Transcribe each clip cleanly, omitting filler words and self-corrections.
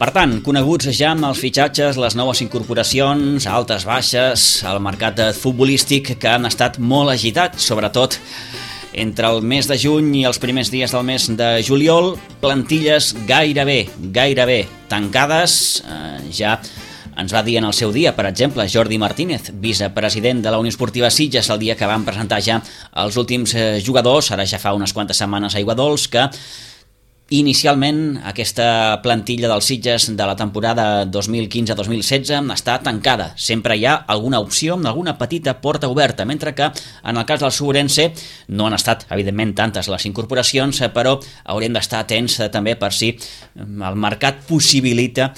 Per tant, coneguts ja amb els fitxatges, les noves incorporacions, altes baixes, el mercat futbolístic que han estat molt agitat, sobretot entre el mes de juny i els primers dies del mes de juliol, plantilles gairebé tancades. Ja ens va dir en el seu dia, per exemple, Jordi Martínez, vicepresident de la Unió Esportiva Sitges, el dia que van presentar ja els últims jugadors, ara ja fa unes quantes setmanes a Aiguadols, que inicialment aquesta plantilla dels Sitges de la temporada 2015-2016 està tancada. Sempre hi ha alguna opció, alguna petita porta oberta, mentre que en el cas del Subrense no han estat, evidentment, tantes les incorporacions, però haurem d'estar atents també per si el mercat possibilita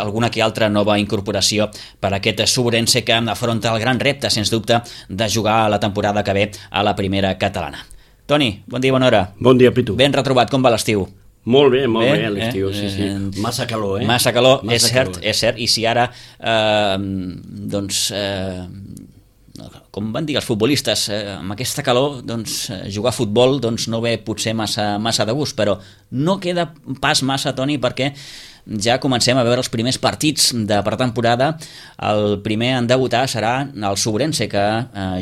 alguna que altra nova incorporació per a aquest Subrense que afronta el gran repte, sens dubte, de jugar la temporada que ve a la primera catalana. Toni, bon dia, bona hora. Bon dia, Pitu. Ben retrobat, com va l'estiu? Molt bé, l'estiu, sí. Massa calor, eh? Massa calor, és cert, i si ara, com van dir els futbolistes, amb aquesta calor, jugar a futbol no ve potser massa de gust, però no queda pas massa, Toni, perquè ja comencem a veure els primers partits de pretemporada. El primer en debutar serà el Subrense, que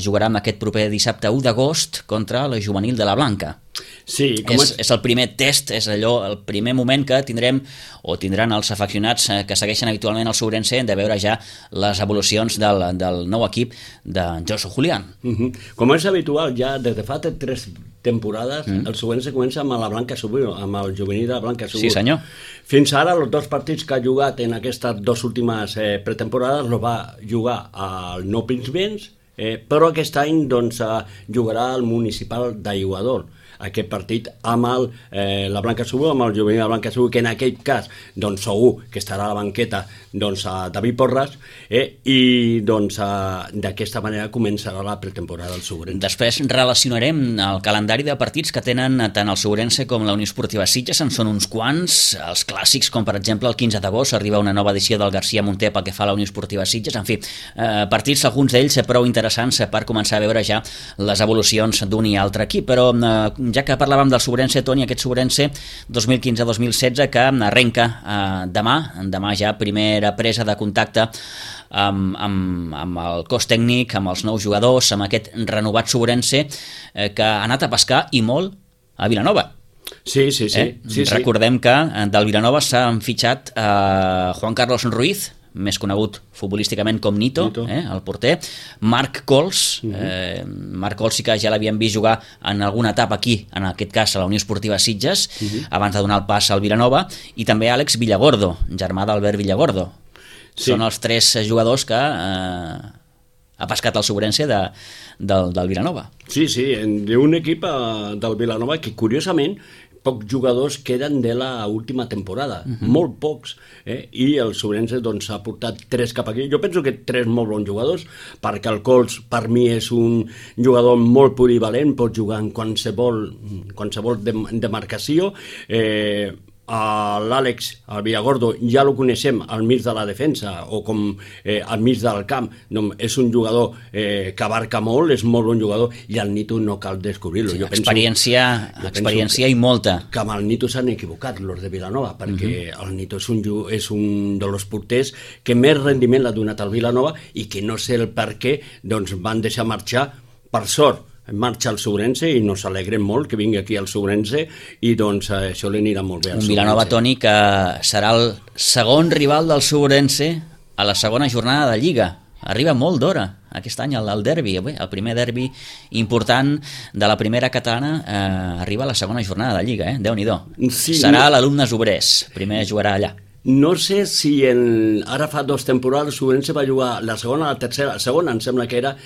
jugarà amb aquest proper dissabte 1 d'agost contra la juvenil de la Blanca. Sí, és el primer test, és allò, el primer moment que tindrem o tindran els afeccionats que segueixen habitualment el Subrense de veure ja les evolucions del nou equip de Josu Julián. Com és habitual, ja des de fa 3 temporades el Subrense comença amb la Blanca Subur, amb el juvenil de la Blanca Subur. Sí, senyor. Fins ara, els 2 partits que ha jugat en aquestes 2 últimes pretemporades els va jugar al Nou Pinsbens, però aquest any jugarà al municipal d'Aiguadols. Aquest partit amb la Blanca Subur, amb el juvenil de la Blanca Subur, que en aquell cas segur que estarà a la banqueta a David Porras, i d'aquesta manera començarà la pretemporada del Subrense. Després relacionarem el calendari de partits que tenen tant el Subrense com la Unió Esportiva Sitges. En són uns quants, els clàssics, com per exemple el 15 d'agost arriba una nova edició del García Monter pel que fa a la Unió Esportiva Sitges. En fi, partits, alguns d'ells prou interessants per començar a veure ja les evolucions d'un i altre equip, però ja que parlàvem del Subrense, Toni, aquest Subrense 2015-2016 que arrenca demà ja primera presa de contacte amb el cos tècnic, amb els nous jugadors, amb aquest renovat Subrense que ha anat a pescar i molt a Vilanova. Sí. Recordem que del Vilanova s'han fitxat Juan Carlos Ruiz, més conegut futbolísticament com Nito, el porter, Marc Cols, Marc Cols sí que ja l'havíem vist jugar en alguna etapa aquí, en aquest cas a la Unió Esportiva Sitges, abans de donar el pas al Vilanova, i també Àlex Villagordo, germà d'Albert Villagordo. Són els 3 jugadors que ha pescat el Subrense del Vilanova. Sí, d'un equip del Vilanova que, curiosament, pocs jugadors queden de la última temporada, molt pocs, i el Subrense ha portat 3 cap aquí. Jo penso que 3 molt bons jugadors, perquè el Cols per mi és un jugador molt polivalent, pot jugar en qualsevol demarcació. L'Àlex, el Villagordo, ja lo coneixem al mig de la defensa o com al mig del camp, és un jugador que abarca molt, és molt bon jugador, i el Nito no cal descobrir-lo. Sí, experiència i molta. Que amb el Nito s'han equivocat los de Vilanova, perquè el Nito és un dels porters que més rendiment l'ha donat al Vilanova i que no sé el per què van deixar marxar, per sort. Marxa al Subrense i nos alegrem molt que vingui aquí al Subrense i això li anirà molt bé al Subrense. Un Vilanova, Toni, que serà el segon rival del Subrense a la segona jornada de Lliga. Arriba molt d'hora aquest any el derbi, el primer derbi important de la primera catalana arriba a la segona jornada de Lliga, Déu-n'hi-do. Serà l'Alumnes Obrers, primer jugarà allà. No sé si ara fa 2 temporades el Subrense va jugar la segona, la tercera, la segona em sembla que era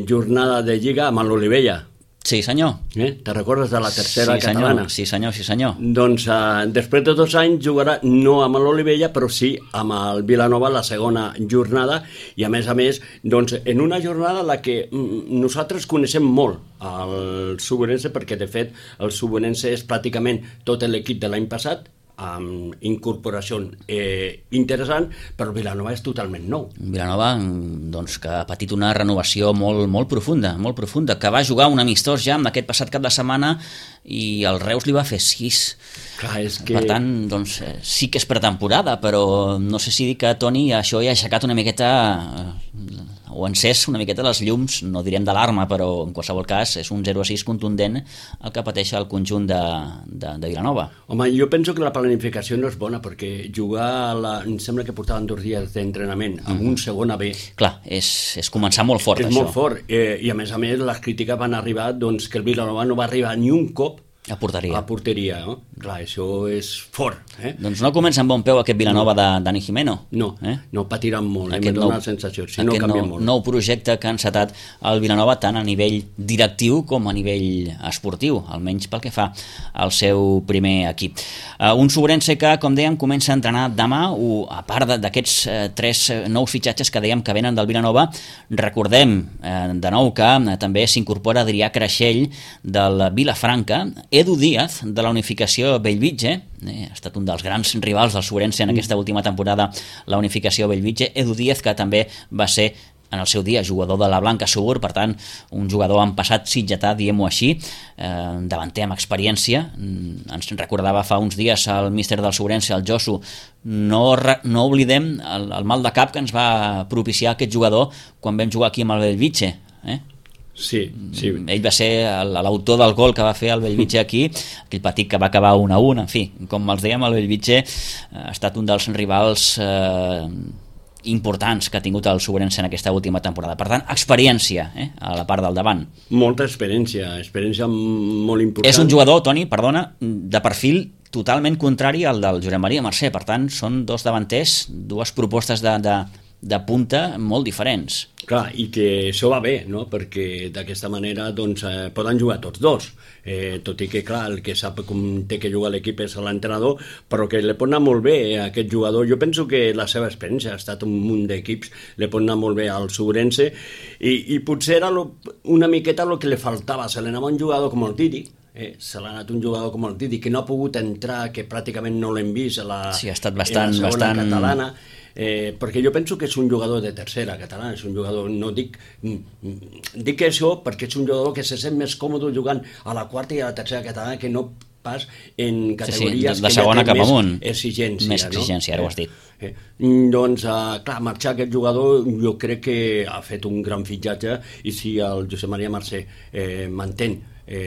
jornada de Lliga amb l'Olivella. Sí, senyor. Te recordes de la tercera catalana? Sí, senyor. Doncs després de 2 anys jugarà no amb l'Olivella, però sí amb el Vilanova la segona jornada, i a més, en una jornada en la que nosaltres coneixem molt el Subrense, perquè de fet el Subrense és pràcticament tot l'equip de l'any passat, amb incorporació interessant, però Vilanova és totalment nou. Vilanova, que ha patit una renovació molt profunda, que va jugar un amistós ja amb aquest passat cap de setmana i el Reus li va fer 6. Clar, és que... Per tant, doncs, sí que és pretemporada, però no sé si dir que, Toni, això ja ha aixecat una miqueta o encès una miqueta les llums, no direm d'alarma, però en qualsevol cas és un 0-6 contundent el que pateix el conjunt de Vilanova. Home, jo penso que la planificació no és bona, perquè jugar, em sembla que portaven 2 dies d'entrenament amb un segon A-B. Clar, és començar molt fort, és això. És molt fort, i a més les crítiques van arribar doncs, que el Vilanova no va arribar ni un cop a porteria, no? Clar, això és fort. Doncs no comença amb bon peu aquest Vilanova de Dani Jimeno. No patiran molt, m'he donat la sensació. Si no canvia molt. Nou projecte que ha encetat el Vilanova tant a nivell directiu com a nivell esportiu, almenys pel que fa al seu primer equip. Un Sobrense que, com dèiem, comença a entrenar demà, a part d'aquests 3 nous fitxatges que dèiem que venen del Vilanova. Recordem de nou que també s'incorpora Adrià Creixell del Vilafranca, Edu Díaz, de la Unificació Bellvitge, ha estat un dels grans rivals del Sobrense en aquesta última temporada, la Unificació Bellvitge. Edu Díaz, que també va ser en el seu dia jugador de la Blanca Subur, per tant, un jugador en passat sitgetà, diguem-ho així, davanter amb experiència. Ens recordava fa uns dies el míster del Sobrense, el Josu. No oblidem el mal de cap que ens va propiciar aquest jugador quan vam jugar aquí amb el Bellvitge, Sí. Ell va ser l'autor del gol que va fer el Bellvitge aquí, aquell partit que va acabar 1-1. En fi, com els dèiem, el Bellvitge ha estat un dels rivals importants que ha tingut el Sobrense en aquesta última temporada. Per tant, experiència a la part del davant. Molta experiència molt important. És un jugador, Toni, perdona, de perfil totalment contrari al del Josep Maria Mercè. Per tant, són 2 davanters, 2 propostes de punta molt diferents. Clar, i que això va bé, no? Perquè d'aquesta manera doncs, poden jugar tots 2, tot i que clar, el que sap com té que jugar l'equip és l'entrenador, però que li pot anar molt bé a aquest jugador. Jo penso que la seva experiència ha estat un munt d'equips, li pot anar molt bé al Sobrense, i potser era una miqueta el que li faltava. Se li anava un jugador com el Didi, se l'ha anat un jugador com el Didi, que no ha pogut entrar, que pràcticament no l'hem vist sí, ha estat en la segona catalana, perquè jo penso que és un jugador de tercera catalana, és un jugador, no dic això perquè és un jugador que se sent més còmode jugant a la quarta i a la tercera catalana que no pas en categories de segona cap amunt, més exigència. Més exigència, ara ho has dit. Doncs, clar, marxar aquest jugador jo crec que ha fet un gran fitxatge, i si el Josep Maria Mercè mantén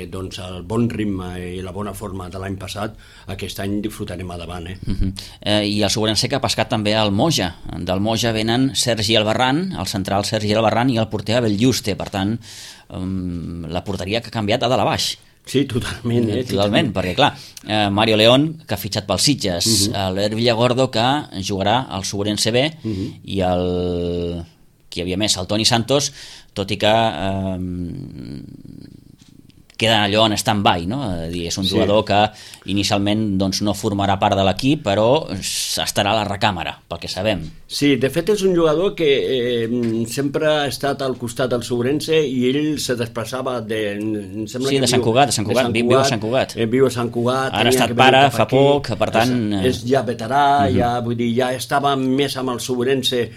doncs el bon ritme i la bona forma de l'any passat, aquest any disfrutarem a davant. I el Sobrense que ha pescat també al Moja. Del Moja venen Sergi Albarrán, el central Sergi Albarrán, i el porter Abel Juste. Per tant, la porteria que ha canviat a dalt a baix. Sí, totalment. Totalment, perquè clar, Mario León, que ha fitxat pels Sitges, l'Her Villagordo, que jugarà al Sobrense B, i qui hi havia més, el Toni Santos, tot i que queda allò en stand-by, no? És un jugador que inicialment doncs, no formarà part de l'equip, però estarà a la recàmera, pel que sabem. Sí, de fet és un jugador que sempre ha estat al costat del Sobrense, i ell se desplaçava de Sant Cugat, viu a Sant Cugat. Viu a Sant Cugat. Ara ha estat pare fa poc, per tant... És ja veterà, vull dir, ja estava més amb el Sobrense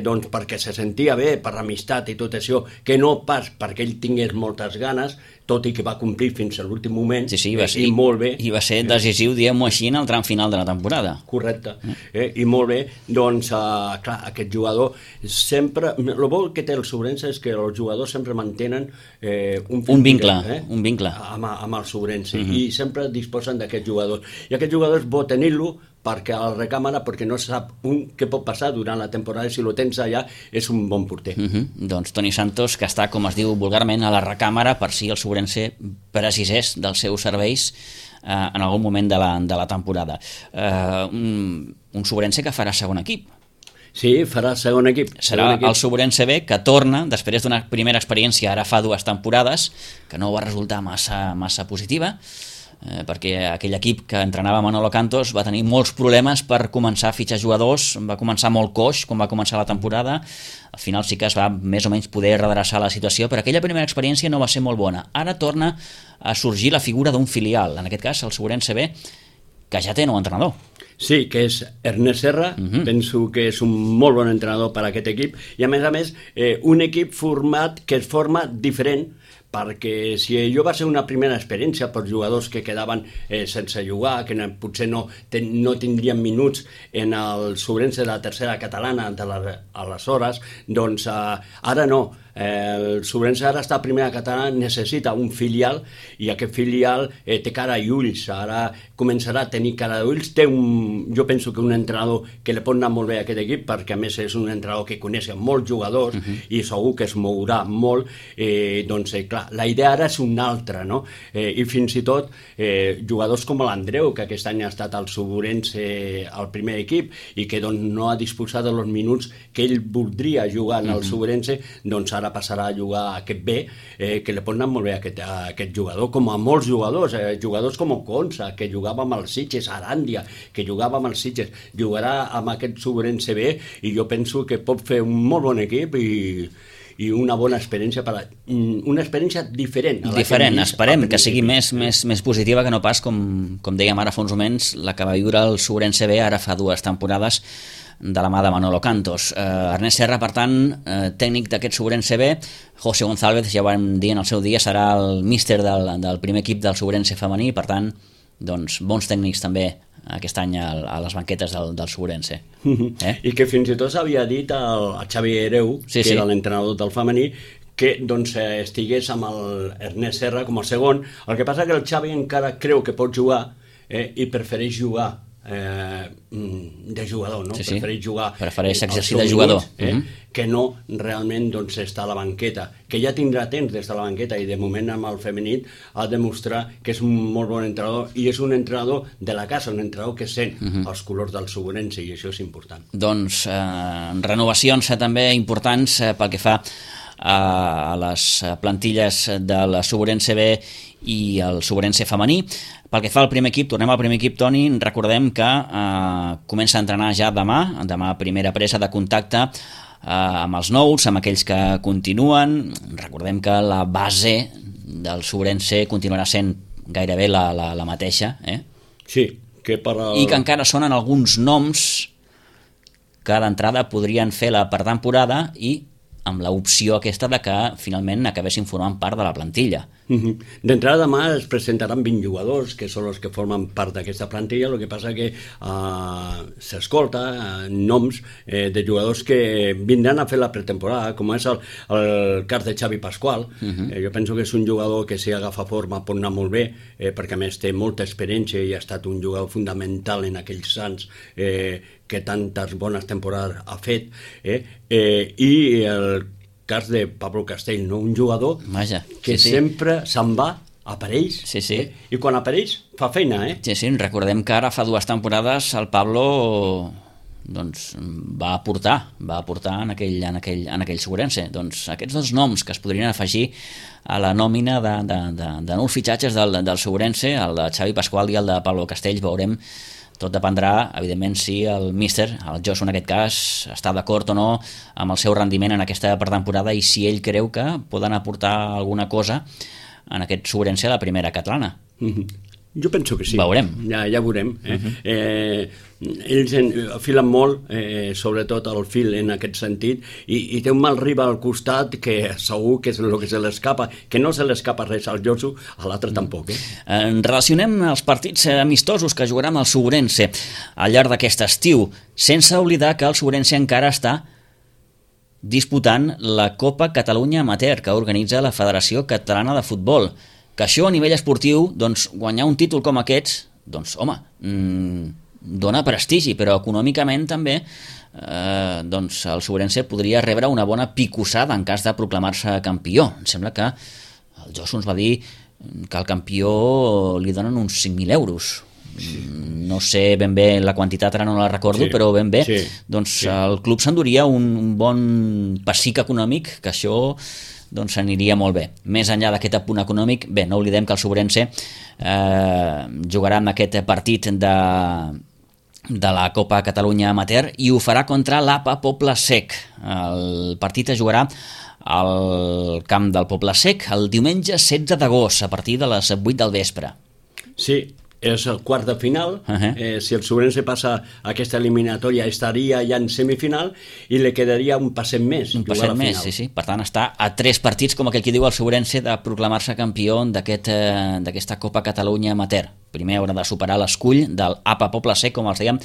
doncs perquè se sentia bé, per l'amistat i tot això, que no pas perquè ell tingués moltes ganes, tot i que va complir fins a l'últim moment, i molt bé. I va ser decisiu, diguem-ho així, en el tram final de la temporada. Correcte, i molt bé. Doncs, clar, aquest jugador sempre... El bo que té el Sobrense és que els jugadors sempre mantenen un vincle amb el Sobrense, i sempre disposen d'aquest jugador. I aquest jugador és bo tenir-lo perquè a la recàmera, perquè no sap què pot passar durant la temporada, si lo tens allà és un bon porter. Doncs Toni Santos, que està, com es diu vulgarment, a la recàmera per si el Sobrense precisés dels seus serveis en algun moment de la temporada. Un Sobrense que farà segon equip. Sí, farà segon equip. Serà el Sobrense B, que torna, després d'una primera experiència ara fa 2 temporades, que no va resultar massa positiva, perquè aquell equip que entrenava Manolo Cantos va tenir molts problemes per començar a fitxar jugadors, va començar molt coix quan va començar la temporada. Al final sí que es va més o menys poder redreçar la situació, però aquella primera experiència no va ser molt bona. Ara torna a sorgir la figura d'un filial, en aquest cas el Sobrense B, que ja té nou entrenador. Sí, que és Ernest Serra, penso que és un molt bon entrenador per a aquest equip, i a més un equip format que es forma diferent, perquè si allò va ser una primera experiència per jugadors que quedaven sense jugar, que potser no tindrien minuts en el Sobrense de la tercera catalana aleshores, doncs ara no. El Sobrense ara està a primera catalana, necessita un filial i aquest filial té cara i ulls, ara començarà a tenir cara i ulls, jo penso que un entrenador que li pot anar molt bé a aquest equip, perquè a més és un entrenador que coneix molts jugadors i segur que es mourà molt, doncs clar, la idea ara és una altra, no? I fins i tot jugadors com l'Andreu, que aquest any ha estat al Sobrense al primer equip i que doncs, no ha disposat dels minuts que ell voldria jugar en el Sobrense, doncs ara passarà a jugar a aquest B, que li pot anar molt bé a aquest jugador, com a molts jugadors, jugadors com Oconsa, que jugava amb els Sitges, Aràndia, que jugava amb els Sitges, jugarà amb aquest Sobrense B i jo penso que pot fer un molt bon equip i una bona experiència, una experiència diferent. Diferent, esperem que sigui més positiva que no pas, com dèiem ara fa uns moments, la que va viure el Sobrense B ara fa 2 temporades, de la mà de Manolo Cantos. Ernest Serra, per tant, tècnic d'aquest Sobrense B. José González, ja ho vam dir en el seu dia, serà el míster del primer equip del Sobrense femení, per tant, doncs, bons tècnics també aquest any a les banquetes del Sobrense. I que fins i tot s'havia dit al Xavi Hereu, que era l'entrenador del femení, que doncs, estigués amb l'Ernest Serra com a segon. El que passa que el Xavi encara creu que pot jugar i prefereix jugar de jugador, no? Prefereix exercir de jugador que no realment doncs, estar a la banqueta, que ja tindrà temps d'estar a la banqueta i de moment amb el femení ha de demostrar que és un molt bon entrenador i és un entrenador de la casa, un entrenador que sent els colors del Sobrense i això és important. Doncs renovacions també importants pel que fa a les plantilles del Sobrense B i el Sobrense femení. Pel que fa al primer equip, tornem al primer equip, Toni, recordem que comença a entrenar ja demà primera presa de contacte amb els nous, amb aquells que continuen. Recordem que la base del Sobrense continuarà sent gairebé la mateixa, Sí, que i que encara sonen alguns noms que d'entrada podrien fer la pretemporada i amb l'opció aquesta de que finalment acabessin formant part de la plantilla. D'entrada demà es presentaran 20 jugadors que són els que formen part d'aquesta plantilla, el que passa que s'escolta noms de jugadors que vindran a fer la pretemporada, com és el cas de Xavi Pasqual. Jo penso que és un jugador que si agafa forma pot anar molt bé, perquè a més té molta experiència i ha estat un jugador fundamental en aquells Sants que tantes bones temporades ha fet, i el cas de Pablo Castell, no? Un jugador que sempre se'n va, apareix, i quan apareix fa feina. Sí, recordem que ara fa 2 temporades el Pablo doncs, va aportar en aquell Sobrense. Doncs aquests 2 noms que es podrien afegir a la nòmina de nous fitxatges del Sobrense, el de Xavi Pasqual i el de Pablo Castell, veurem. Tot dependrà, evidentment, si el míster, el Josu en aquest cas, està d'acord o no amb el seu rendiment en aquesta pretemporada i si ell creu que poden aportar alguna cosa en aquest Sobrense a la primera catalana. Jo penso que sí. Veurem. Ja veurem. Ells filen molt, sobretot el fil en aquest sentit, i té un mal rival al costat que segur que és el que se l'escapa, que no se l'escapa res al Josu, a l'altre tampoc. Relacionem els partits amistosos que jugarà amb el Sobrense al llarg d'aquest estiu, sense oblidar que el Sobrense encara està disputant la Copa Catalunya Amateur que organitza la Federació Catalana de Futbol. Que això a nivell esportiu, doncs, guanyar un títol com aquests, doncs, home, dona prestigi, però econòmicament també doncs el Sobrense podria rebre una bona picossada en cas de proclamar-se campió. Em sembla que el Josu ens va dir que al campió li donen uns 5.000 euros. No sé ben bé la quantitat, ara no la recordo, però ben bé, doncs el club s'enduria un bon pessic econòmic, que això doncs aniria molt bé. Més enllà d'aquest apunt econòmic, bé, no oblidem que el Sobrense jugarà en aquest partit de la Copa Catalunya Amateur i ho farà contra l'APA Poble Sec. El partit es jugarà al camp del Poble Sec el diumenge 16 d'agost a partir de les 8 del vespre. Sí, és el quart de final. Si el Sobrense passa aquesta eliminatòria estaria ja en semifinal i li quedaria un passet més. Un passet més, sí. Per tant, està a 3 partits, com aquell que diu el Sobrense, de proclamar-se campió d'aquesta Copa Catalunya Amateur. Primer haurà de superar l'escull del APA Poble Sec, com els dèiem,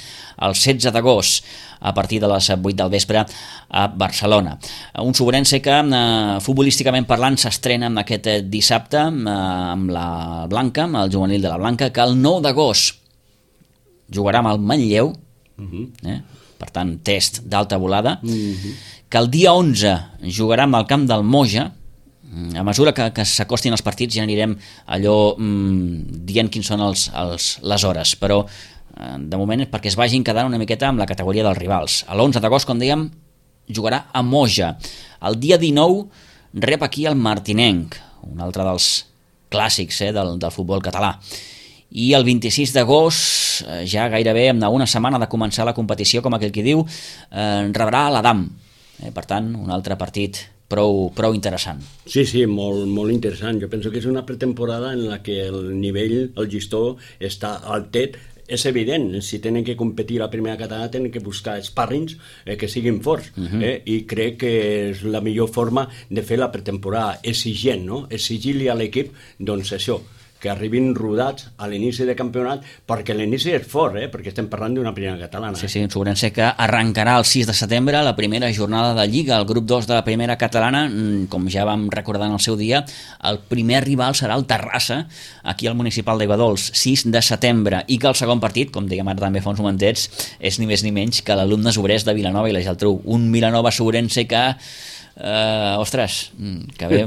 el 16 d'agost, a partir de les 8 del vespre a Barcelona. Un Sobrense que, futbolísticament parlant, s'estrena aquest dissabte amb la Blanca, amb el juvenil de la Blanca, que el 9 d'agost jugarà amb el Manlleu, per tant, test d'alta volada, que el dia 11 jugarà amb el camp del Moja. A mesura que s'acostin els partits ja anirem allò dient quins són les hores, però de moment és perquè es vagin quedant una miqueta amb la categoria dels rivals. L'11 d'agost, com dèiem, jugarà a Moja. El dia 19 rep aquí el Martinenc, un altre dels clàssics del futbol català. I el 26 d'agost, ja gairebé a una setmana de començar la competició, com aquell qui diu, rebrà l'Adam. Per tant, un altre partit prou interessant. Sí, molt interessant. Jo penso que és una pretemporada en la que el nivell, el llistó, està altet. És evident, si tenen que competir a la primera catalana tenen que buscar sparrings que siguin forts, i crec que és la millor forma de fer la pretemporada, exigent, no? Exigir-li a l'equip, doncs això, que arribin rodats a l'inici de campionat, perquè l'inici és fort, perquè estem parlant d'una primera catalana. Sí, un Sobrense que arrencarà el 6 de setembre la primera jornada de Lliga, el grup 2 de la primera catalana. Com ja vam recordar en el seu dia, el primer rival serà el Terrassa, aquí al Municipal d'Aiguadols, 6 de setembre, i que el segon partit, com dèiem ara també fa uns momentets, és ni més ni menys que l'Alumnes Obrers de Vilanova i la Geltrú, un Vilanova Sobrense que que ve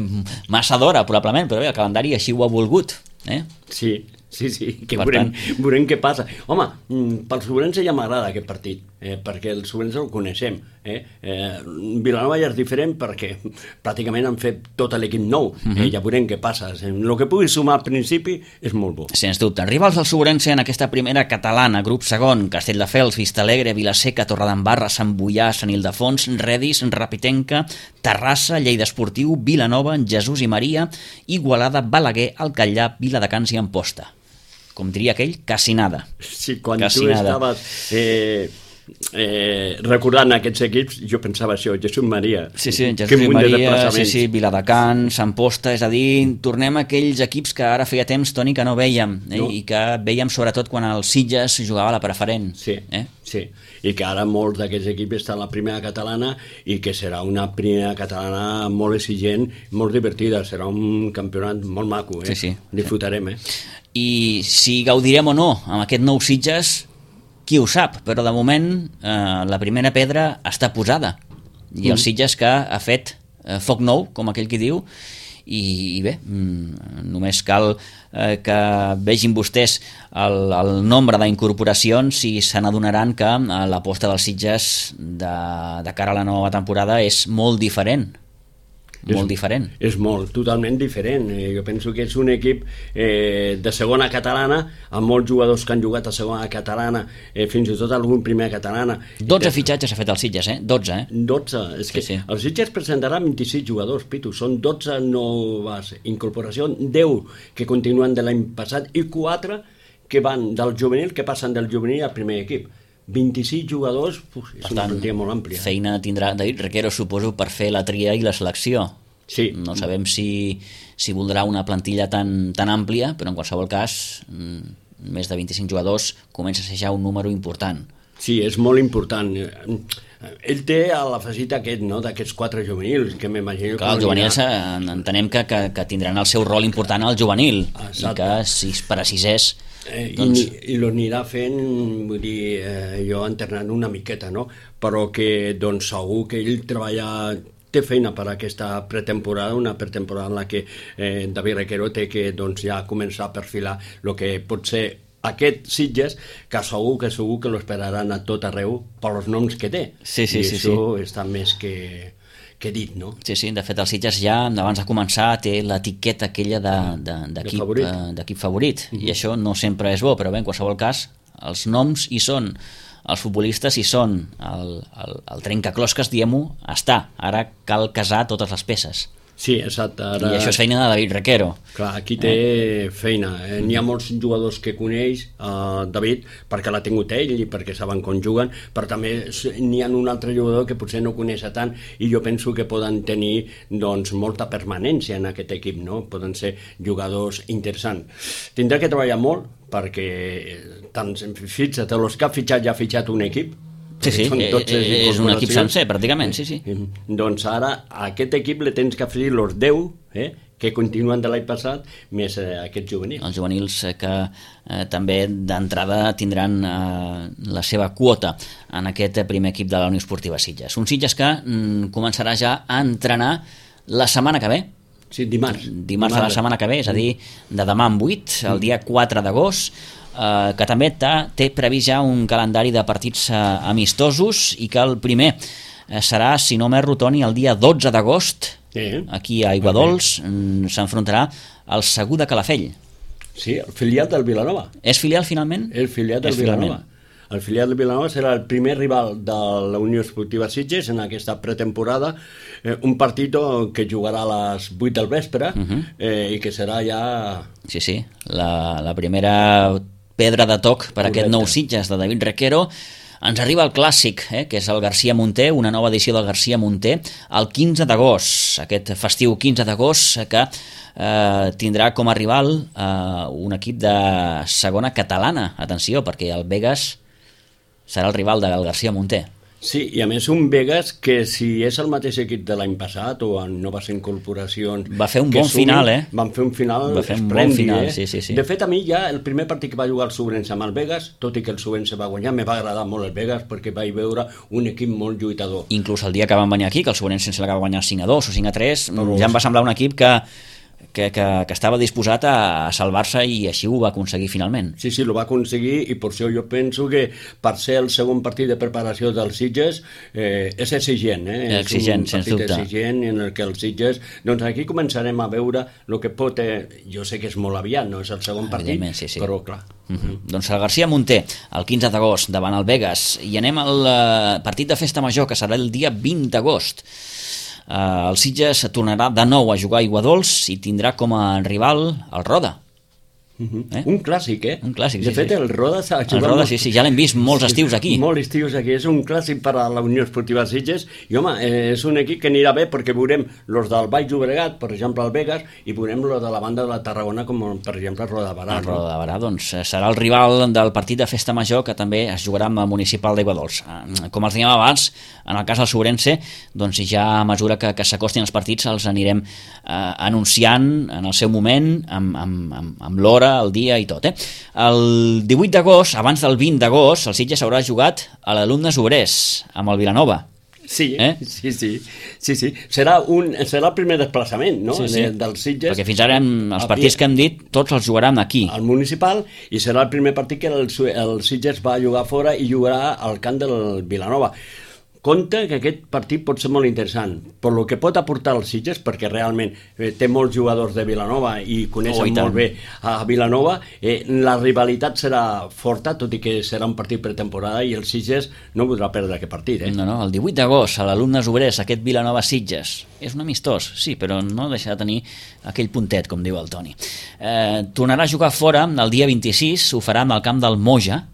massa d'hora probablement, però bé, el calendari així ho ha volgut. Sí, que veurem què passa. Home, pel Sobrense ja m'agrada aquest partit, perquè el Sobrense el coneixem. Vilanova ja és diferent perquè pràcticament han fet tot l'equip nou. Ja veurem què passa. El que pugui sumar al principi és molt bo. Sens dubte. Rivals del Sobrense en aquesta primera catalana, grup segon: Castelldefels, Vistalegre, Vilaseca, Torredembarra, Sant Boià, Sant Ildefons, Redis, Rapitenca, Terrassa, Lleida Esportiu, Vilanova, Jesús i Maria, Igualada, Balaguer, Alcallà, Viladecans i Amposta. Com diria aquell, quasi nada. Sí, quan tu estaves recordant aquests equips, jo pensava això, Jesús Maria. Sí, Jesús i Maria, Viladecans, Amposta, és a dir, tornem a aquells equips que ara feia temps, Toni, que no veiem, i que veiem sobretot quan el Sitges jugava a la preferent. Sí, i que ara molts d'aquests equips estan a la primera catalana i que serà una primera catalana molt exigent, molt divertida, serà un campionat molt maco, disfrutarem. I si gaudirem o no amb aquest nou Sitges, qui ho sap, però de moment la primera pedra està posada i el Sitges que ha fet foc nou, com aquell qui diu, i bé, només cal que vegin vostès el nombre d'incorporacions i se n'adonaran que l'aposta dels Sitges de cara a la nova temporada és molt diferent. És totalment diferent. Jo penso que és un equip de segona catalana, amb molts jugadors que han jugat a segona catalana, fins i tot algun primera catalana. 12 fitxatges ha fet el Sitges, 12. 12, és que el Sitges presentarà 26 jugadors, Pitu, són 12 noves incorporacions, 10 que continuen de l'any passat i 4 que van del juvenil, que passen del juvenil al primer equip. 26 jugadors, és una plantilla molt àmplia. Feina tindrà David Requero, suposo, per fer la tria i la selecció. Sí. No sabem si voldrà una plantilla tan àmplia, però en qualsevol cas, més de 25 jugadors comença a ser ja un número important. Sí, és molt important. Ell té l'afegit aquest, no?, d'aquests 4 juvenils, que m'imagino... Clar, els juvenils entenem que tindran el seu rol important al juvenil. Exacte. I que per a sisès... I l'anirà fent, vull dir, jo entrenant una miqueta, no? Però que doncs segur que ell té feina per a aquesta pretemporada, una pretemporada en la que David Requero té que doncs ja començar a perfilar el que pot ser aquest Sitges, que segur que l'esperaran a tot arreu pels noms que té. Sí. I això està més que dit, no? Sí, de fet el Sitges ja, abans de començar, té l'etiqueta aquella d'equip favorit, i això no sempre és bo, però bé, en qualsevol cas, els noms hi són, els futbolistes hi són, el trencaclosques, diguem-ho, està. Ara cal casar totes les peces. Sí, exacte. I això és feina de David Requero. Clar, aquí té feina. N'hi ha molts jugadors que coneix David perquè l'ha tingut ell i perquè saben com juguen, però també n'hi ha un altre jugador que potser no coneix tant i jo penso que poden tenir doncs, molta permanència en aquest equip, no? Poden ser jugadors interessants. Tindrà que treballar molt perquè tant fixa't, els que ha fitxat ja ha fitxat un equip. Sí, és un equip sencer, pràcticament, sí. Doncs ara a aquest equip li tens que afegir els 10, que continuen de l'any passat, més aquests juvenils. Els juvenils que també d'entrada tindran la seva quota en aquest primer equip de la Unió Esportiva Sitges. Un Sitges que començarà ja a entrenar la setmana que ve. Sí, dimarts. Dimarts de la setmana que ve, és a dir, de demà en 8, el dia 4 d'agost, que també té previst ja un calendari de partits amistosos i que el primer serà, si no m'erro, Toni, el dia 12 d'agost, aquí a Aiguadols, s'enfrontarà al Segur de Calafell. Sí, el filial del Vilanova. És filial finalment? El filial del Vilanova. El filial del Vilanova serà el primer rival de la Unió Esportiva Sitges en aquesta pretemporada, un partit que jugarà a les 8 del vespre i que serà ja... Sí, la primera pedra de toc per aquest nou Sitges de David Requero. Ens arriba el clàssic, que és el García Monter, una nova edició del García Monter, el 15 d'agost, aquest festiu 15 d'agost, que tindrà com a rival un equip de segona catalana. Atenció, perquè el Begues serà el rival del García Monter. Sí, i a més un Begues que si és el mateix equip de l'any passat o en noves incorporacions... Va fer un bon final, Van fer un final esplèndid, sí. De fet, a mi ja el primer partit que va jugar el Sobrense amb el Begues, tot i que el Sobrense va guanyar, me va agradar molt el Begues perquè vaig veure un equip molt lluitador. Inclús el dia que van venir aquí, que el Sobrense sense la que va guanyar 5-2 o 5-3, ja em va semblar un equip que estava disposat a salvar-se i així ho va aconseguir finalment. Sí, ho va aconseguir i per això jo penso que per ser el segon partit de preparació dels Sitges és exigent, exigent, és un partit exigent en el que els Sitges, doncs aquí començarem a veure el que pot, jo sé que és molt aviat, no és el segon partit, sí. però clar. Doncs el García Monter, el 15 d'agost davant el Begues, i anem al partit de festa major que serà el dia 20 d'agost. El Sitges tornarà de nou a jugar a Aiguadols i tindrà com a rival el Roda. Un clàssic, Un clàssic, de fet, el Roda s'ha jugat... El Roda, sí, ja l'hem vist molts estius aquí. Molts estius aquí, és un clàssic per a la Unió Esportiva Sitges i, home, és un equip que anirà bé perquè veurem els del Baix Llobregat, per exemple, el Begues, i veurem els de la banda de la Tarragona, com per exemple el Roda de Barà. El Roda de Barà, doncs, serà el rival del partit de festa major que també es jugarà amb el municipal d'Aiguadols. Com els dèiem abans, en el cas del Sobrense, doncs ja a mesura que s'acostin els partits els anirem anunciant en el seu moment, amb l'hora, el dia i tot. El 18 d'agost, abans del 20 d'agost, el Sitges haurà jugat a l'Alumnes Obrers amb el Vilanova. Sí. Serà el primer desplaçament, no? Del Sitges. Perquè fins ara els partits que hem dit tots els jugaran aquí. Al municipal, i serà el primer partit que el Sitges va jugar fora i jugarà al camp del Vilanova. Compte que aquest partit pot ser molt interessant, per lo que pot aportar els Sitges, perquè realment té molts jugadors de Vilanova i coneixen molt bé a Vilanova. La rivalitat serà forta, tot i que serà un partit pretemporada i el Sitges no podrà perdre aquest partit. No, el 18 d'agost a l'Alumnes Obrers, aquest Vilanova-Sitges. És un amistós, sí, però no deixa de tenir aquell puntet, com diu el Toni. Tornarà a jugar fora el dia 26, ho farà amb el camp del Moja,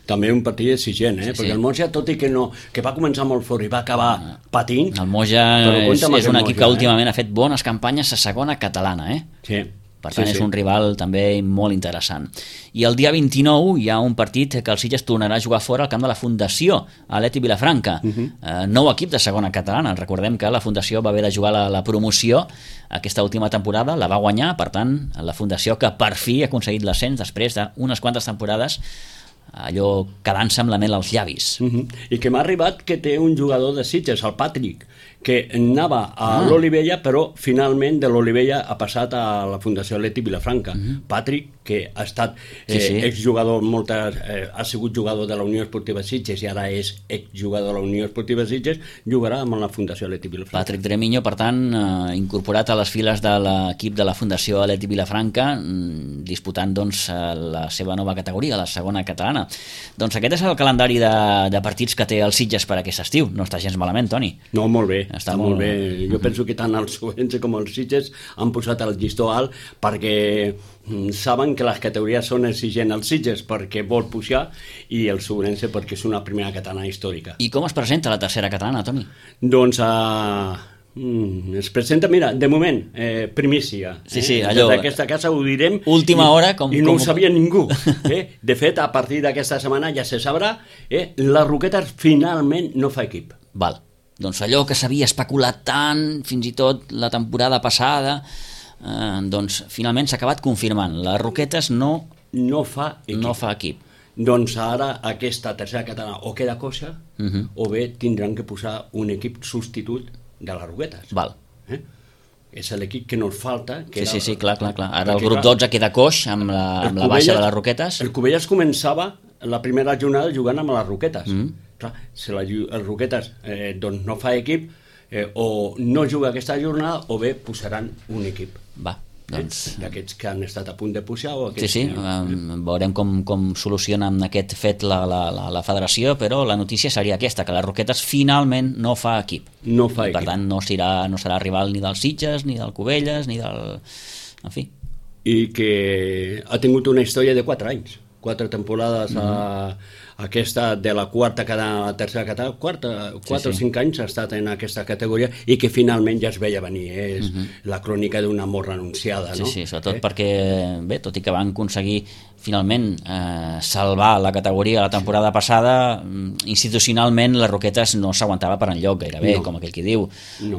també un partit exigent, perquè el Moja, tot i que va començar molt fort i va acabar patint... El Moja és un equip que últimament ha fet bones campanyes a segona catalana, Sí. Per tant, és un rival també molt interessant. I el dia 29 hi ha un partit que el Sitges tornarà a jugar fora al camp de la Fundació, a l'Eti Vilafranca. Nou equip de segona catalana. Recordem que la Fundació va haver de jugar la promoció aquesta última temporada, la va guanyar, per tant, la Fundació que per fi ha aconseguit l'ascens després d'unes quantes temporades, allò quedant-se amb la mel als llavis. I que m'ha arribat que té un jugador de Sitges, el Patrick, que anava a l'Olivella, però finalment de l'Olivella ha passat a la Fundació Atlètic Vilafranca. Patrick, que ha estat exjugador, ha sigut jugador de la Unió Esportiva Sitges i ara és exjugador de la Unió Esportiva Sitges, jugarà amb la Fundació Atlètic Vilafranca. Patrick Dremiño, per tant, incorporat a les files de l'equip de la Fundació Atlètic Vilafranca, disputant doncs la seva nova categoria, la segona catalana. Doncs aquest és el calendari de partits que té el Sitges per aquest estiu. No està gens malament, Toni. No, molt bé. Està molt bé. Jo penso que tant els Ourense com els Sitges han posat el llistó alt perquè saben que les categories són exigents als Sitges perquè vol pujar i els Ourense perquè és una primera catalana històrica. I com es presenta la tercera catalana, Toni? Doncs es presenta, mira, de moment, primícia. Sí, allò... D'aquesta casa ho direm... Última hora, i no ho sabia ningú. De fet, a partir d'aquesta setmana ja se sabrà, la Roquetes finalment no fa equip. Val. Doncs allò que s'havia especulat tant, fins i tot la temporada passada, doncs finalment s'ha acabat confirmant. Les Roquetes no fa equip. Doncs ara aquesta tercera catalana o queda coixa o bé tindran que posar un equip substitut de les Roquetes. Val. És l'equip que nos falta. Sí, clar. Ara el grup 12 queda coix amb la baixa de les Roquetes. El Cubelles començava la primera jornada jugant amb les Roquetes. Clar, si les Roquetes doncs no fa equip, o no juga aquesta jornada o bé posaran un equip. Va, doncs... D'aquests que han estat a punt de pujar o aquests... Sí, veurem com soluciona amb aquest fet la federació, però la notícia seria aquesta, que les Roquetes finalment no fa equip. No fa equip. Per tant, no serà rival ni dels Sitges, ni del Cubelles, ni del... En fi. I que ha tingut una història de 4 anys. 4 temporades aquesta de la quarta a la tercera catalana, 4 o 5 anys ha estat en aquesta categoria i que finalment ja es veia venir, és la crònica d'una mort renunciada, no? Sí, sobretot perquè, bé, tot i que van aconseguir finalment salvar la categoria la temporada passada, institucionalment les Roquetes no s'aguantava per enlloc gairebé, com aquell qui diu,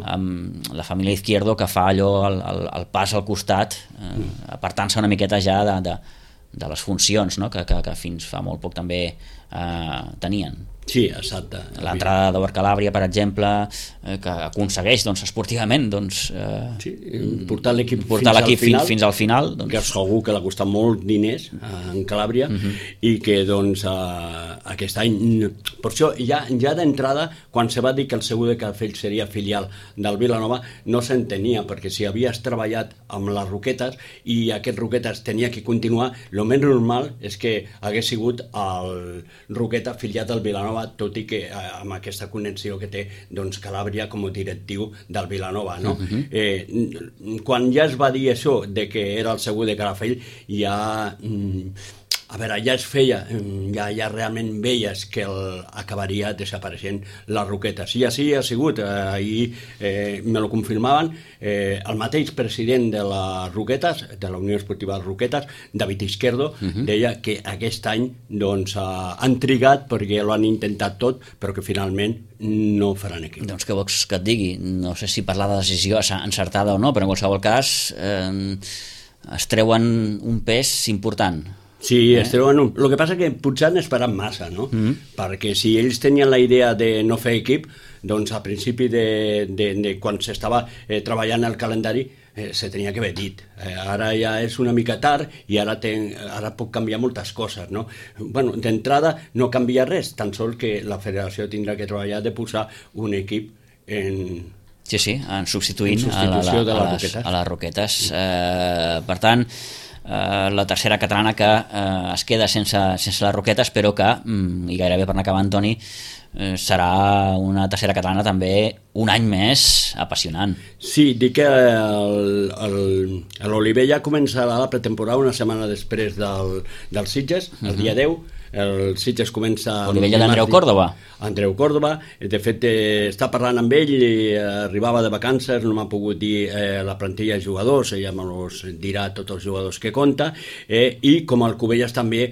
amb la família Izquierdo que fa allò el pas al costat, apartant-se una miqueta ja de les funcions, no? que fins fa molt poc també tenien. Sí, exacte. L'entrada d'Obert Calàbria, per exemple, que aconsegueix esportivament portar l'equip fins al final. Que segur que l'ha costat molt diners en Calàbria i que aquest any... Per això ja d'entrada, quan se va dir que el Segur de Calafell seria filial del Vilanova, no s'entenia, perquè si havies treballat amb les Roquetes i aquest Roquetes tenia que continuar, el més normal és que hagués sigut el Roqueta filiat del Vilanova, tot i que amb aquesta connexió que té Calàbria com a directiu del Vilanova, no? Quan ja es va dir això de que era el Segur de Calafell, ja es feia, ja realment veies que acabaria desapareixent les Roquetes. I així ha sigut, ahir me lo confirmaven, el mateix president de les Roquetes, de la Unió Esportiva de Roquetes, David Izquierdo, deia que aquest any han trigat perquè lo han intentat tot, però que finalment no faran equip. Doncs què vols que et digui? No sé si parlar de decisió encertada o no, però en qualsevol cas es treuen un pes important. Sí, el que passa que potser han esperat massa, no? Perquè si ells tenien la idea de no fer equip, doncs a principi de quan s'estava treballant el calendari se tenia que haver dit. Ara ja és una mica tard i ara pot canviar moltes coses, no? Bueno, d'entrada no canvia res, tan sols que la federació tindrà que treballar de posar un equip en... Sí, en substituint a les Roquetes. Per tant, la tercera catalana que es queda sense les Roquetes, però que, i gairebé per anar acabant, Toni, serà una tercera catalana també un any més apassionant. Sí, dic que l'Olivella començarà la pretemporada una setmana després del Sitges, el dia 10. El Sitges comença... Olivella d'Andreu Córdoba. Andreu Córdoba, de fet està parlant amb ell, arribava de vacances, no m'ha pogut dir la plantilla de jugadors, ella me'ls dirà tots els jugadors que compta, i com el Cubelles també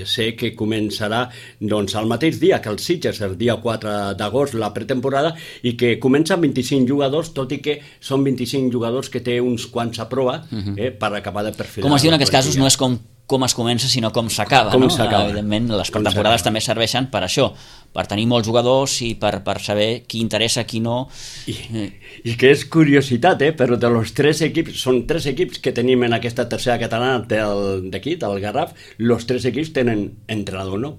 sé que començarà doncs el mateix dia que el Sitges, el dia 4 d'agost, la pretemporada, i que comença amb 25 jugadors, tot i que són 25 jugadors que té uns quants a prova per acabar de perfilar. Com es diu en aquests casos, no és com es comença, sinó com s'acaba, no? Evidentment, les pretemporades també serveixen per això, per tenir molts jugadors i per saber qui interessa, qui no. I que és curiositat, però de los 3 equips, són 3 equips que tenim en aquesta tercera catalana d'aquí, del Garraf, los 3 equips tenen entrenador nou.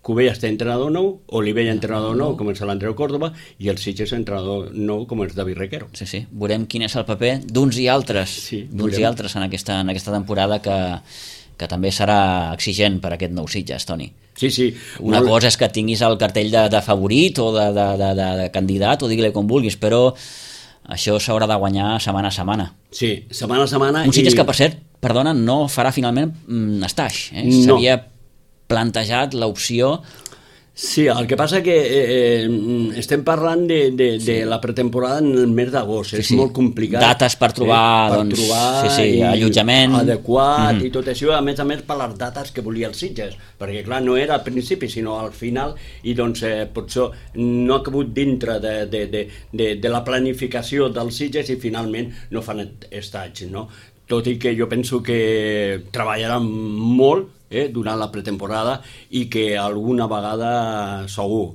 Cubelles té entrenador nou, Olivella entrenador nou, com és l'Andreu Córdoba, i el Sitges entrenador nou, com és David Requero. Sí, veurem quin és el paper d'uns i altres, en aquesta temporada que que també serà exigent per aquest nou Sitges, Toni. Sí. Una cosa és que tinguis el cartell de favorit o de candidat, o digue-li com vulguis, però això s'haurà de guanyar setmana a setmana. Sí, setmana a setmana. Un Sitges que, per cert, perdona, no farà finalment Estaix. S'havia plantejat l'opció. Sí, el que passa que estem parlant de la pretemporada en el mes d'agost, és molt complicat. Dates per trobar, allotjament adequat i tot això, a més per les dates que volia el Sitges, perquè clar, no era al principi sinó al final, i doncs potser no ha cabut dintre de la planificació del Sitges i finalment no fan Estaig, no? Tot i que jo penso que treballaran molt durant la pretemporada i que alguna vegada segur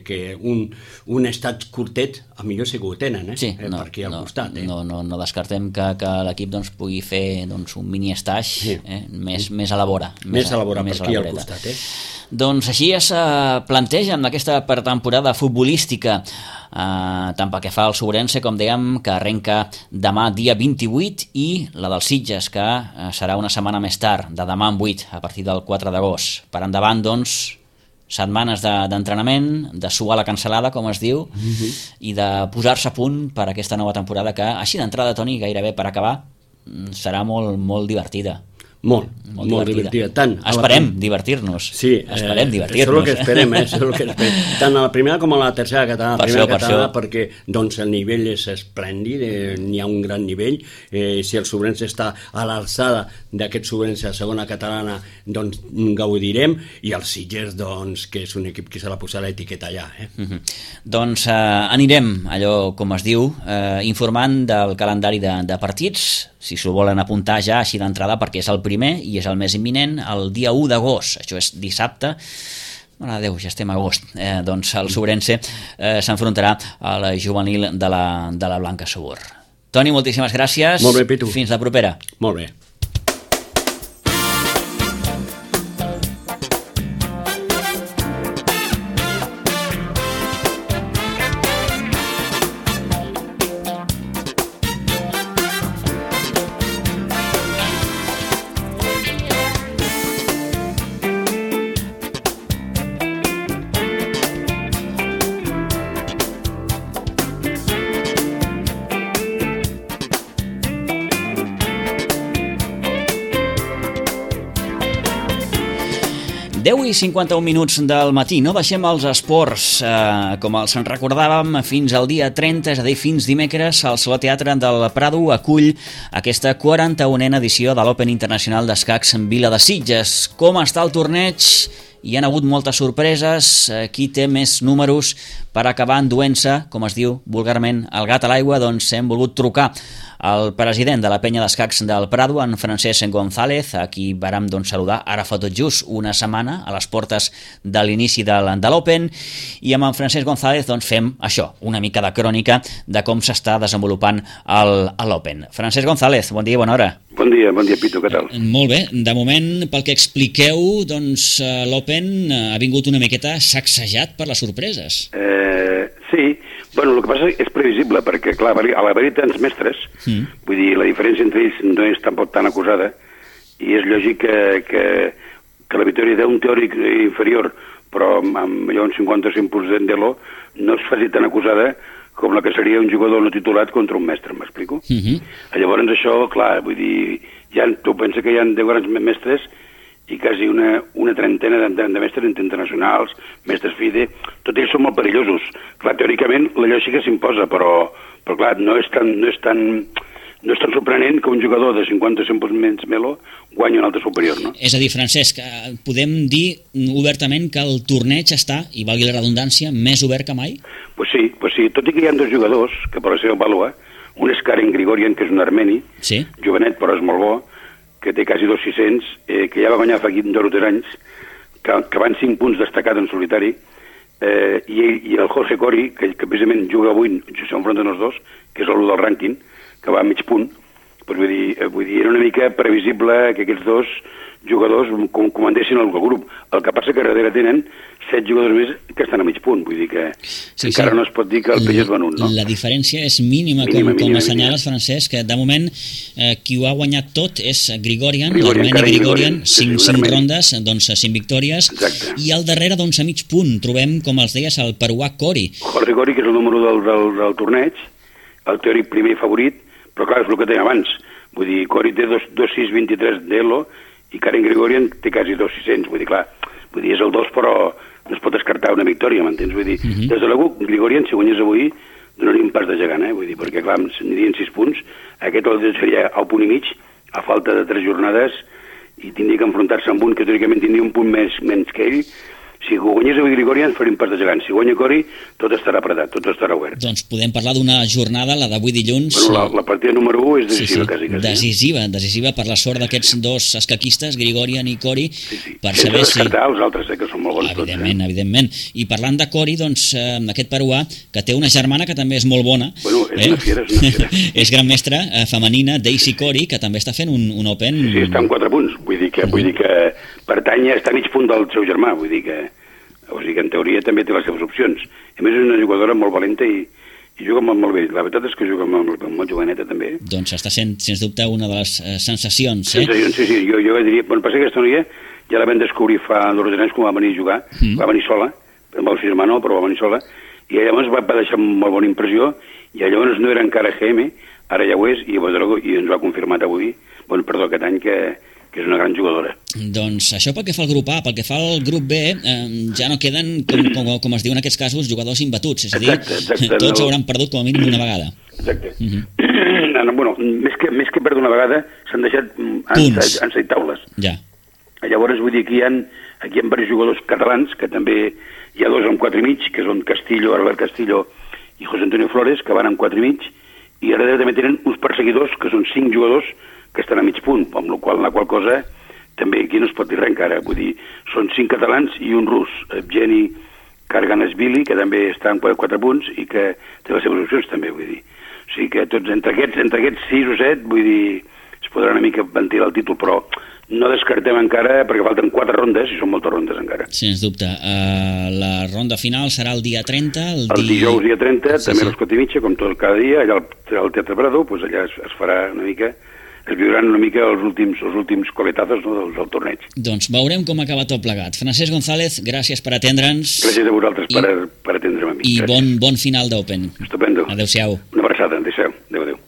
que un estat curtet a millor sí que ho tenen per aquí al costat. No descartem que l'equip pugui fer un mini estaix més a la vora. Més a la vora, per aquí al costat. Doncs així es planteja en aquesta pretemporada futbolística, tant pel que fa al Sobrense, com dèiem, que arrenca demà dia 28, i la del Sitges, que serà una setmana més tard, de demà en 8, a partir del 4 d'agost. Per endavant, doncs, setmanes d'entrenament, de suar la cancel·lada, com es diu, i de posar-se a punt per aquesta nova temporada que, així d'entrada, Toni, gairebé per acabar, serà molt divertida. Molt divertida. Esperem divertir-nos. Sí, esperem divertir-nos. Això és el que esperem, això és el que esperem. Tant a la primera com a la tercera catalana. Perquè doncs, el nivell és esplèndid, n'hi ha un gran nivell. Si el Sobrense està a l'alçada d'aquest Sobrense a segona catalana, doncs gaudirem, i el Sitges, doncs, que és un equip que se l'ha posat l'etiqueta allà. Doncs anirem, allò com es diu, informant del calendari de partits, si s'ho volen apuntar ja així d'entrada, perquè és el primer i és el més imminent, el dia 1 d'agost, això és dissabte. Mare de Déu, ja estem a agost. Doncs el Sobrense s'enfrontarà a la juvenil de la Blanca Sabor. Toni, moltíssimes gràcies. Molt bé, Pitu. Fins la propera. Molt bé. I 51 minuts del matí, no deixem els esports, com els recordàvem, fins al dia 30, és a dir, fins dimecres, el Saló Teatre del Prado acull aquesta 41a edició de l'Open Internacional d'Escacs en Vila de Sitges. Com està el torneig? Hi han hagut moltes sorpreses. Qui té més números per acabar enduent-se, com es diu vulgarment, el gat a l'aigua? Doncs hem volgut trucar al president de la penya d'escacs del Prado, en Francesc González, a qui vàrem saludar ara fa tot just una setmana a les portes de l'inici de l'Open, i amb en Francesc González fem això, una mica de crònica de com s'està desenvolupant l'Open. Francesc González, bon dia i bona hora. Bon dia, Pitu, què tal? Molt bé, de moment, pel que expliqueu, l'Open ha vingut una miqueta sacsejat per les sorpreses. Sí, bueno, el que passa és previsible, perquè, clar, a l'haver-hi tants mestres, vull dir, la diferència entre ells no és tampoc tan acusada, i és lògic que la victòria d'un teòric inferior, però amb allò un 55% d'elo, no es faci tan acusada com la que seria un jugador no titulat contra un mestre, m'explico? Llavors això, clar, vull dir, tu pensa que hi ha 10 grans mestres i quasi una trentena de mestres internacionals, mestres FIDE, tots ells són molt perillosos. Clar, teòricament la lògica s'imposa, però clar, no és tan sorprenent que un jugador de 50 menys melo guanyi un altre superior, no? És a dir, Francesc, podem dir obertament que el torneig està, i valgui la redundància, més obert que mai? Pues sí, tot i que hi ha dos jugadors que per la seva vàlua, un és Karen Grigorian, que és un armeni, jovenet però és molt bo, que té quasi 2.600, que ja va guanyar fa 2 o 3 anys, que van 5 punts destacat en solitari, i el Jorge Cori, que precisament juga avui, s'enfronten els dos, que és l'1 del rànquing, que va a mig punt, Doncs vull dir, era una mica previsible que aquests dos jugadors comandessin el grup. El que passa que darrere tenen 7 jugadors més que estan a mig punt, vull dir que encara no es pot dir que el peix és venut, no? La diferència és mínima, com assenyales, Francesc, que de moment qui ho ha guanyat tot és Grigorian, l'Armeni Grigorian, 5 rondes, doncs 5 victòries, i al darrere, doncs a mig punt, trobem, com els deies, el peruà Cori. Jorge Cori, que és el número del torneig, el teòric primer favorit, però clar, és el que tenia abans. Vull dir, Cori té 2.623 d'Elo i Karen Grigorian té quasi 2.600. Vull dir, clar, és el 2, però no es pot descartar una victòria, m'entens? Vull dir, des de l'Agut, Grigorian, si guanyés avui, donaria un pas de gegant, Vull dir, perquè, clar, anirien 6 punts. Aquest el seria al punt i mig, a falta de 3 jornades, i tindria que enfrontar-se amb un que teòricament tindria un punt menys que ell. Si guanyés avui Grigorian, faria un pas de gegant. Si guanya Cori, tot estarà apretat, tot estarà obert. Doncs podem parlar d'una jornada, la d'avui dilluns... Bueno, la partida número 1 és decisiva, quasi. Decisiva per la sort d'aquests dos escaquistes, Grigorian i Cori, per sense saber descartar els altres, que són molt bons evidentment. I parlant de Cori, doncs, aquest peruà, que té una germana que també és molt bona... Bueno, és una fiera. És gran mestra femenina, Daisy Cori, que també està fent un Open... Sí, està en 4 punts. Vull dir que pertany, està a mig punt del seu germà, vull dir que en teoria també té les seves opcions. A més, és una jugadora molt valenta i juga molt bé. La veritat és que juga molt joveneta, també. Doncs està sent, sens dubte, una de les sensacions. Sensacions, sí. Jo diria... Bueno, passa que aquesta noia ja la vam descobrir fa 2 anys quan va venir a jugar. Va venir sola, amb el seu germà no, però va venir sola. I llavors va deixar molt bona impressió, i llavors no era encara GM, ara ja ho és, i ens ho ha confirmat avui, aquest any, que és una gran jugadora. Doncs això pel que fa al grup A. Pel que fa al grup B, ja no queden, com es diu en aquests casos, jugadors imbatuts. És a dir, tots hauran perdut com a mínim una vegada. Exacte. Bueno, més que perdre una vegada, s'han deixat en 7 taules. Ja. Llavors, vull dir, aquí hi ha diversos jugadors catalans, que també hi ha 2 amb 4 i mig, que són Albert Castillo i José Antonio Flores, que van amb 4 i mig, i ara també tenen uns perseguidors, que són 5 jugadors, que estan a mig punt, amb la qual cosa també aquí no es pot dir res encara. Vull dir, són 5 catalans i un rus, Evgeny Karganashvili, que també està en 4 punts i que té les seves opcions també, vull dir. O sigui que tots, entre aquests 6 o 7, vull dir, es podrà una mica ventilar el títol, però no descartem encara, perquè falten 4 rondes, i són moltes rondes encara. Sens dubte. La ronda final serà el dia 30. El dijous dia 30, també a les 4 i mitja, com tot cada dia, allà al Teatre Prado, doncs allà es farà una mica... es viuran una mica els últims coletazos, no, del torneig. Doncs veurem com acaba tot plegat. Francesc González, gràcies per atendre'ns. Gràcies a vosaltres per atendre'm a mi. I bon final d'Open. Estupendo. Adéu-siau. Una abraçada, adéu-siau. Adéu.